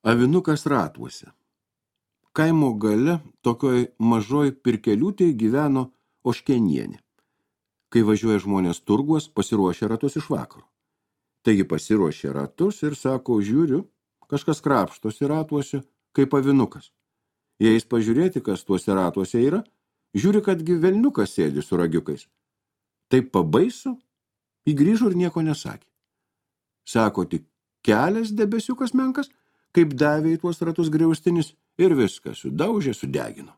Avinukas ratuose. Kaimo gale tokioj mažoj pirkeliūtėj gyveno Oškenienė. Kai važiuoja žmonės turguos, pasiruošia ratus iš vakaro. Taigi pasiruošia ratus ir sako, žiūriu, kažkas krapštosi ratuose, kaip avinukas. Jais pažiūrėti, kas tuose ratuose yra, žiūri, kadgi velniukas sėdi su ragiukais. Taip pabaisu, įgrįžo ir nieko nesakė. Sako, tik kelias debesiukas menkas, kaip davė į tuos ratus griaustinis ir viską sudaužė, sudegino.